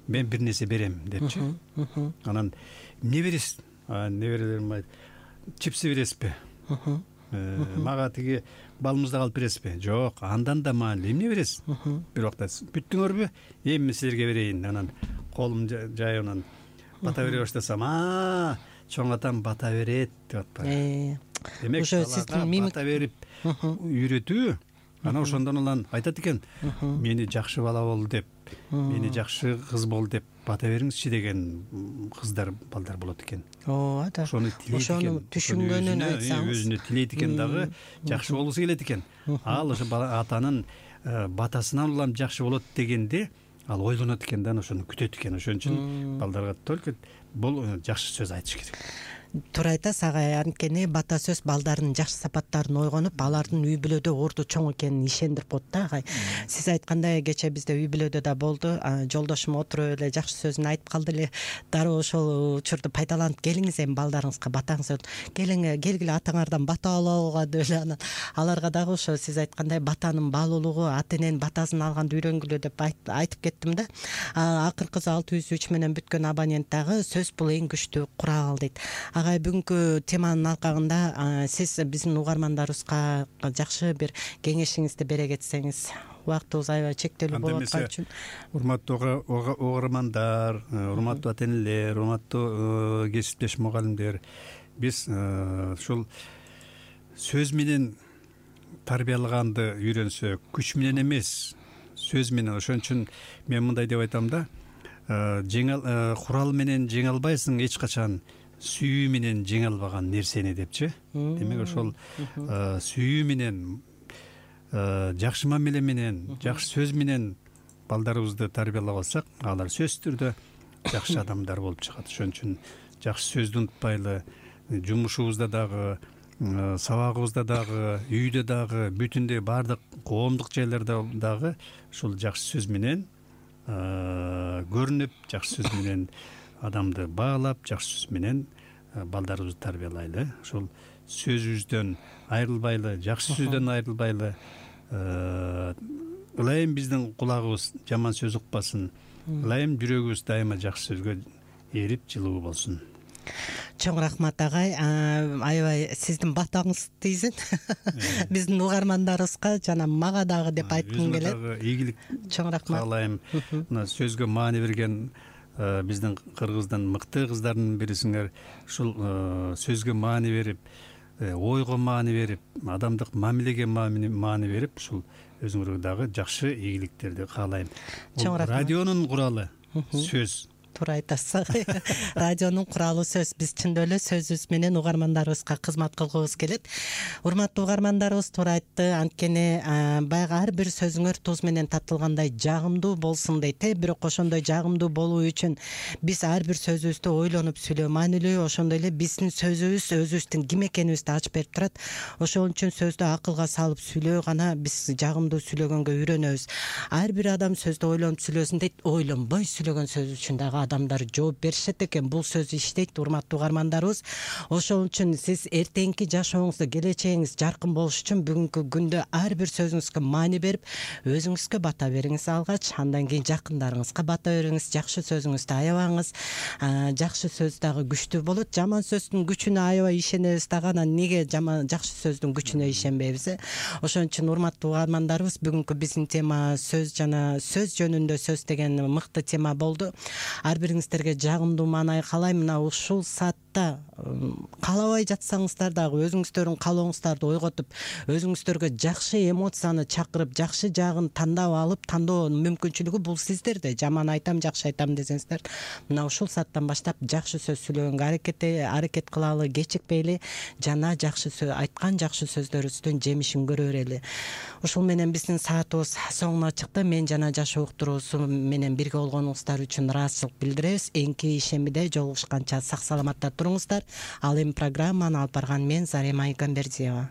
S3: мен бир нерсе берем депчи. Анан эмне бересиз? Неберелерим айтты, чипсы бересизби? Мага тиги балымызды алып бересизби? Жок, андан да маанилүү. Эмне бересиз? Бир убакта бүттүңөрбү? Эми силерге берейин. Анан колум жайып анан бата бере баштасам, чоң атам бата берет деп атпайбы. Демек балага бата берип үйрөтүү. Анан ошондон улам айтат экен, мени жакшы бала бол деп, мени жакшы кыз бол деп бата бериңизчи деген кыздар, балдар болот экен.
S4: Ооба.
S3: Ошону
S4: түшүнгөнүн айтсаңыз,
S3: өзүнө тилейт экен дагы, жакшы болгусу келет экен. Ал ошо атанын батасынан улам жакшы болот дегенде ал ойлонот экен да, ошону күтөт экен. Ошон үчүн балдарга только бул жакшы сөз айтыш керек.
S4: Туура айтасыз агай, анткени бата сөз балдардын жакшы сапаттарын ойгонуп, алардын үй бүлөдө орду чоң экенин ишендирип коет да агай. Сиз айткандай кече бизде үй бүлөдө да болду, жолдошум отуруп эле жакшы сөзүн айтып калды эле. Дароо ошол учурду пайдаланып, келиңиз эми балдарыңызга батаңыз, келгиле атаңардан бата алууга деп эле. Анан аларга дагы ошо сиз айткандай батанын баалуулугу, ата эненин батасын алганды үйрөнгүлө деп айтып кеттим да. Акыркысы 603 менен бүткөн абонент дагы сөз бул эң күчтүү курал дейт. Агай, бүгүнкү теманын алкагында сиз биздин угармандарыбызга жакшы бир кеңешиңизди бере кетсеңиз. Убактыбыз аябай чектелүү болуп аткан үчүн.
S3: Урматтуу угармандар, урматтуу ата энелер, урматтуу кесиптеш мугалимдер, биз ушул сөз менен тарбиялаганды үйрөнсөк, күч менен эмес, сөз менен. Ошон үчүн мен мындай деп айтам да, курал менен жеңе албайсың эч качан, сүйүү менен жеңе албаган нерсени депчи. Демек ошол сүйүү менен, жакшы мамиле менен, жакшы сөз менен балдарыбызды тарбиялап алсак, алар сөзсүз түрдө жакшы адамдар болуп чыгат. Ошон үчүн жакшы сөздү унутпайлы, жумушубузда дагы, сабагыбызда дагы, үйдө дагы, бүтүндөй баардык коомдук жайларда дагы ушул жакшы сөз менен көрүнүп, жакшы сөз менен адамды баалап, жакшы сөз менен балдарыбызды тарбиялайлы. Ошол сөзүбүздөн айрылбайлы, жакшы сөздөн айрылбайлы. Ылайым биздин кулагыбыз жаман сөз укпасын. Ылайым жүрөгүбүз дайыма жакшы сөзгө эрип, жылуу болсун.
S4: Чоң рахмат агай, аябай сиздин батаңыз тийсин. Биздин угармандарыбызга жана мага дагы деп айткым келет.
S3: Өзүмө дагы ийгилик
S4: чоң рахмат
S3: каалайм. Мына сөзгө маани берген биздин кыргыздын мыкты кыздардын бирисиңер. Ушул сөзгө маани берип, ойго маани берип, адамдык мамилеге маани берип, ушул өзүңөргө дагы жакшы ийгиликтерди каалайм. Радионун куралы сөз.
S4: туура айтасыз. Радионун куралы сөз. Биз чындап эле сөзүбүз менен угармандарыбызга кызмат кылгыбыз келет. Урматтуу угармандарыбыз туура айтты. Анткени баягы ар бир сөзүңөр туз менен татылгандай жагымдуу болсун дейт. Бирок ошондой жагымдуу болуу үчүн биз ар бир сөзүбүздү ойлонуп сүйлөө маанилүү. Ошондой эле биздин сөзүбүз өзүбүздүн ким экенибизди ачып берип турат. Ошол үчүн сөздү акылга салып сүйлөө гана биз жагымдуу сүйлөгөнгө үйрөнөбүз. Ар бир адам сөздү ойлонуп сүйлөсүн дейт. Ойлонбой сүйлөгөн сөз үчүн дагы адамдар жооп беришет экен. Бул сөз иштейт, урматтуу угармандарыбыз. Ошол үчүн сиз эртеңки жашооңузда келечегиңиз жаркын болуш үчүн бүгүнкү күндө ар бир сөзүңүзгө маани берип, өзүңүзгө бата бериңиз алгач, андан кийин жакындарыңызга бата бериңиз. Жакшы сөзүңүздү аябаңыз. Жакшы сөз дагы күчтүү болот. Жаман сөздүн күчүнө аябай ишенебиз дагы, анан эмнеге жакшы сөздүн күчүнө ишенбейбиз? Ошон үчүн урматтуу угармандарыбыз, бүгүнкү биздин тема сөз жана сөз жөнүндө сөз деген мыкты тема болду. Ар бириңиздерге жагымдуу маанай каалайм. Мына ушул саатта каалабай жатсаңыздар дагы өзүңүздөрдүн каалооңуздарды ойготуп, өзүңүздөргө жакшы эмоцияны чакырып, жакшы жагын тандап алып, тандоо мүмкүнчүлүгү бул сиздерде. Жаман айтам, жакшы айтам десеңиздер, мына ушул сааттан баштап жакшы сөз сүйлөгөнгө аракет кылалы, кечикпейли жана жакшы сөз айткан жакшы сөздөрүбүздүн жемишин көрө берели. Ушул менен биздин саатыбыз соңуна чыкты. Мен жана Жашоо уктуруусу менен бирге болгонуңуздар үчүн ыраазычылык билдиребиз. Эңки ишембиде жолугушканча сак саламатта туруңуздар. Ал эми программаны алып барган мен Зарема Айгамбердиева.